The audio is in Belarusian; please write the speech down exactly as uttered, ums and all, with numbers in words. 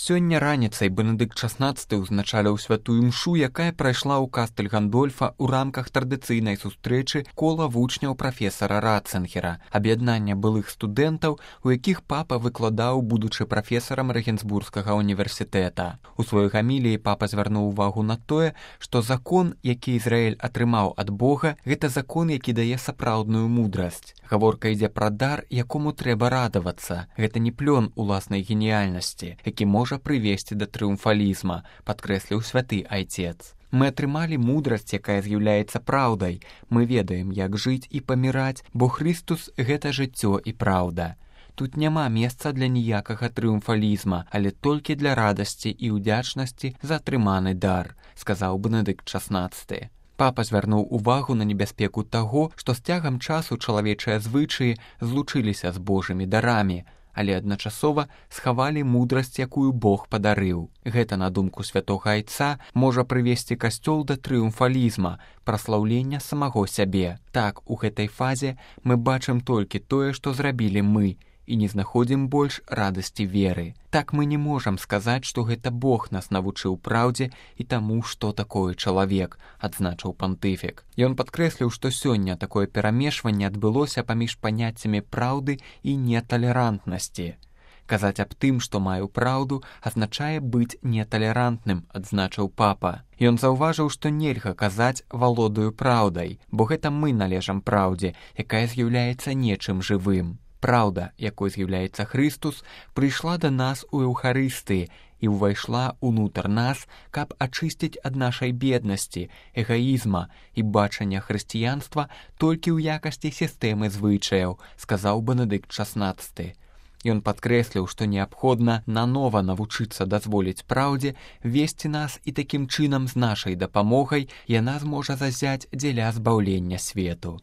Сёння раніцай Бенедыкт шаснаццаты ўзначаліў святую мшу, якая прайшла ў Кастэль Гандольфа ў рамках традыцыйнай сустрэчы кола вучняў прафесара Ратцынгера, аб'яднання былых студэнтаў, у якіх папа выкладаў, будучы прафесарам Рэгенсбургскага універсітэта. У сваёй гаміліі папа звярнуў увагу на тое, што закон, які Ізраіль атрымаў ад Бога, гэта закон, які дае сапраўдную мудрасць. Гаворка ідзе пра дар, якому трэба радавацца. Гэта не плён уласнай геніяльнасці, які можа прывесці да трыумфалізма, падкрэсліў святы айцец. Мы атрымалі мудрасць, якая з'яўляецца праўдай. Мы ведаем, як жыць і паміраць, бо Хрыстус — гэта жыццё і праўда. Тут няма месца для ніякага трыумфалізма, але толькі для радасці і ўдзячнасці за атрыманы дар, сказаў Бенедыкт шаснаццаты. Папа звярнуў увагу на небяспеку таго, што з цягам часу чалавечыя звычаі злучыліся з Божымі дарамі, але адначасова схавалі мудрасць, якую Бог падарыў. Гэта, на думку святога айца, можа прывесці касцёл да трыумфалізма, праслаўлення самого сябе. Так, у гэтай фазе мы бачым толькі тое, што зрабілі мы, і не знаходзім больш радасці веры. Так мы не можам сказаць, што гэта Бог нас навучыў праўдзе і таму, што такое чалавек, адзначыў пантыфік. Ён падкрэсліў, што сёння такое перамешванне адбылося паміж паняццямі праўды і неталерантнасці. Казаць аб тым, што маю праўду, азначае быць неталерантным, адзначыў папа. Ён заўважыў, што нельга казаць «валодаю праўдай», бо гэта мы належам праўдзе, якая з'яўляецца нечым жывым. Праўда, якой з'яўляецца Хрыстус, прыйшла да нас у Еўхарыстыі і ўвайшла ўнутр нас, каб ачысціць ад нашай беднасці, эгаізма і бачання хрысціянства толькі ў якасці сістэмы звычаяў, сказаў Бенедыкт шаснаццаты. Ён падкрэсліў, што неабходна нанова навучыцца дазволіць праўдзе весці нас, і такім чынам з нашай дапамогай яна зможа зазяць дзеля збаўлення свету.